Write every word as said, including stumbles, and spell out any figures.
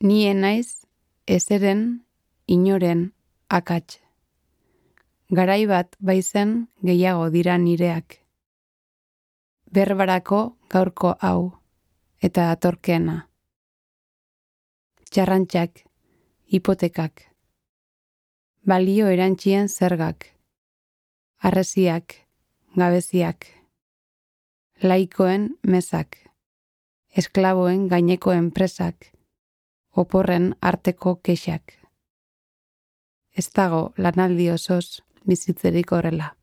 Ni naiz ezeren inoren akats. Garai bat baizen gehiago dira nireak. Berbarako gaurko hau eta atorkena. Txarrantxak, hipotekak, balio erantzien zergak, harresiak, gabeziak, laikoen mezak, esklaboen gaineko enpresak, oporren arteko kexak. Ez dago lanaldi osoz bizitzerik horrela.